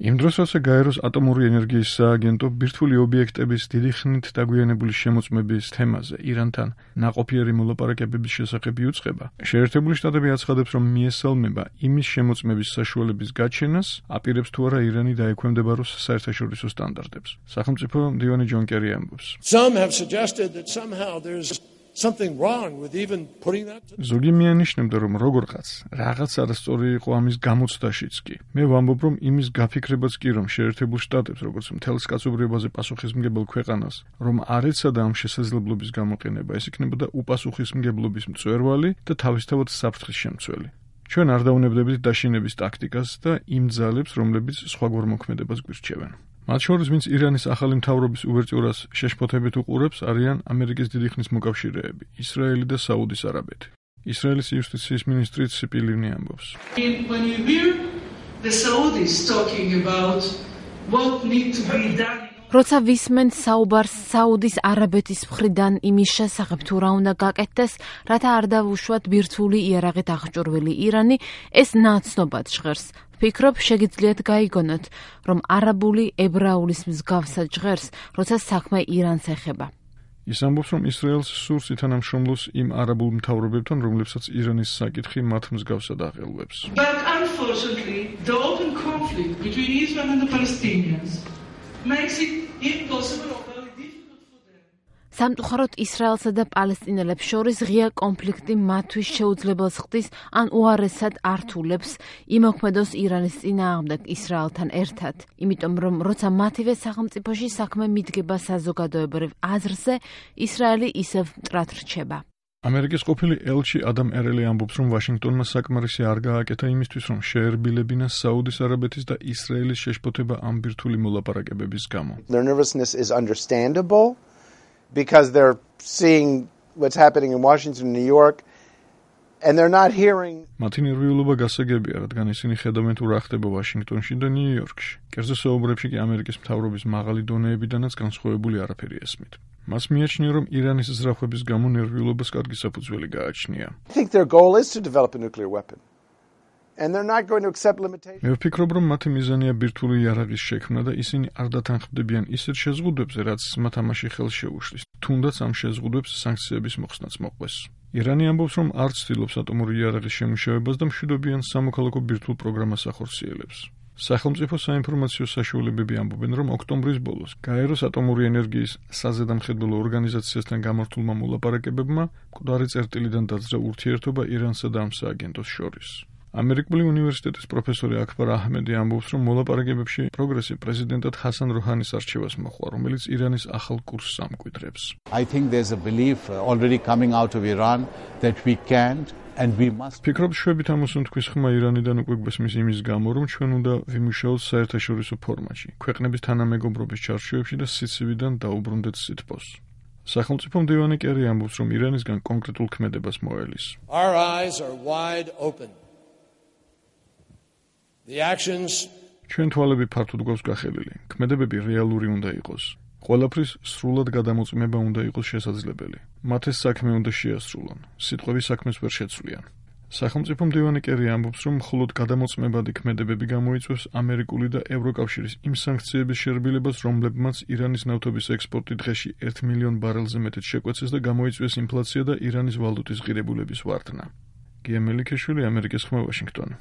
იმ დროს, როცა გაეროს ატომური ენერგიის სააგენტო ბირთვული ობიექტების დიდი ხნით დაგვიანებული შემოწმების თემაზე ირანთან ნაყოფიერი მოლაპარაკებების შესახებ იუწყება, შეერთებული შტატები აცხადებს, რომ მიესალმება იმის შემოწმების საშუალების გაჩენას, აპირებს თუ არა ირანი დაექვემდებაროს საერთაშორისო სტანდარტებს. სახელმწიფო მდივანი ჯონ კერი ამბობს. ზოგი მიანიშნებდა, რომ როგორღაც რაღაც არასწორი იყო ამის გამოცდაშიც კი. მე ვამბობ, რომ იმის გაფიქრებაც კი, რომ შეერთებულ შტატებს, როგორც მთელს კაცობრიობაზე პასუხისმგებელ ქვეყანას, რომ არ ეცადა ამ შესაძლებლობის გამოყენება, ეს იქნებოდა უპასუხისმგებლობის მწვერვალი და თავისთავად საფრთხის შემცველი. ჩვენ არ დაუნებდებით დაშინების ტაქტიკას და იმ ძალებს, რომლებიც სხვაგვარ მოქმედებას გვირჩევენ. მათ შორის, ვინც ირანის ახალი მთავრობის უვერტიურას შეშფოთებით უყურებს, არიან ამერიკის დიდი ხნის მოკავშირეები, ისრაელი და საუდის არაბეთი. ისრაელის იუსტიციის მინისტრი ციპი ლივნი ამბობს. როცა ვისმენთ საუბარს საუდის არაბეთის მხრიდან იმის შესახებ, თუ რა უნდა გაკეთდეს, რათა არ დავუშვათ ბირთვული იარაღით აღჭურვილი ირანი, ეს ნაცნობად ჟღერს. ვფიქრობ, შეგიძლიათ გაიგონოთ, რომ არაბული ებრაულის მსგავსად ჟღერს, როცა საქმე իրანს ეხება. ის ამბობს, რომ ისრაელს სურს ითანამშრომლოს იმ არაბულ მთავრობებთან, რომლებსაც ირანის საკითხი მათ მსგავსად აღელვებს. But unfortunately, the open conflict between Israel and the Palestinians makes it impossible or very difficult for them. სამწუხაროდ ისრაელსა და პალესტინელებს შორის ღია კონფლიქტი მათთვის შეუძლებელს ხდის ან უარესად ართულებს იმოქმედოს ირანის წინააღმდეგ ისრაელთან ერთად. იმიტომ რომ როცა მათივე სახელმწიფოში საქმე მიდგება საზოგადოებრივ აზრზე, ისრაელი ისევ მტრად რჩება. ამერიკის ყოფილი ელჩი ადამ ერელი ამბობს, რომ ვაშინგტონმა საკმარისი არ გააკეთა იმისთვის, რომ შეერბილებინა საუდის არაბეთის და ისრაელის შეშფოთება ამ ბირთვული მოლაპარაკებების გამო. Their nervousness is understandable because they're seeing what's happening in Washington and New York and they're not hearing. მათი ნერვიულობა გასაგებია, რადგან ისინი ხედავენ თუ რა ხდება ვაშინგტონში და ნიუ-იორკში. კერძო საუბრებში კი ამერიკის მთავრობის მაღალი დონეებიდანაც განსხვავებული არაფერი ესმით. მას მიაჩნია, რომ ირანის ზრახვების გამო ნერვიულობას კარგი საფუძველი გააჩნია. I think their goal is to develop a nuclear weapon. And they're not going to accept limitations. მე ვფიქრობ, რომ მათი მიზანია ბირთვული იარაღის შექმნა და ისინი არ დათანხმდებიან ისეთ შეზღუდვებზე, რაც მათ ამაში ხელს შეუშლის. თუნდაც ამ შეზღუდვებს სანქციების მოხსნაც მოყვეს. ირანი ამბობს, რომ არ ცდილობს ატომური იარაღის შემუშავებას და მშვიდობიან სამოქალაქო ბირთვულ პროგრამას ახორციელებს. სახელმწიფო საინფორმაციო საშუალებები ამბობენ, რომ ოქტომბრის ბოლოს გაეროს ატომური ენერგიის საზედამხედველო ორგანიზაციასთან გამართულმა მოლაპარაკებებმა მკვდარი წერტილიდან დაძრა ურთიერთობა ირანსა და ამ სააგენტოს შორის. ამერიკული უნივერსიტეტის პროფესორი აქბარ აჰმედი ამბობს, რომ მოლაპარაკებებში პროგრესი პრეზიდენტად ჰასან როჰანის არჩევას მოჰყვა, რომელიც ირანის ახალ კურსს ამკვიდრებს. I think there's a belief already coming out of Iran that we can't and we must. ფიქრობ, შვებით ამოსუნ თქვის ხმა ირანიდან უკვე გვესმის იმის გამო, რომ ჩვენ უნდა ვიმუშაოთ საერთაშორისო ფორმატში, ქვეყნების თანამეგობრობის ჩარჩოებში და სიცივიდან დაუბრუნდეთ სითბოს. სახელმწიფო მდივანი კერი ამბობს, რომ ირანისგან კონკრეტულ ქმედებას მოელის. Our eyes are wide open. The actions ჩვენ თვალები ფართოდ გვაქვს გახელილი. ქმედებები რეალური უნდა იყოს. ყველაფრის სრულად გადამოწმება უნდა იყოს შესაძლებელი. მათ ეს საქმე უნდა შეასრულონ. სიტყვები საქმეს ვერ შეცვლიან. სახელმწიფო მდივანი კერი ამბობს, რომ მხოლოდ გადამოწმებადი ქმედებები გამოიწვევს ამერიკული და ევროკავშირის იმ სანქციების შერბილებას, რომლებმაც ირანის ნავთობის ექსპორტი დღეში 1 მილიონ ბარელზე მეტად შეკვეცეს და გამოიწვიეს ინფლაცია და ირანის ვალუტის ღირებულების ვარდნა. გია მელიქეშვილი, ამერიკის ხმა, ვაშინგტონი.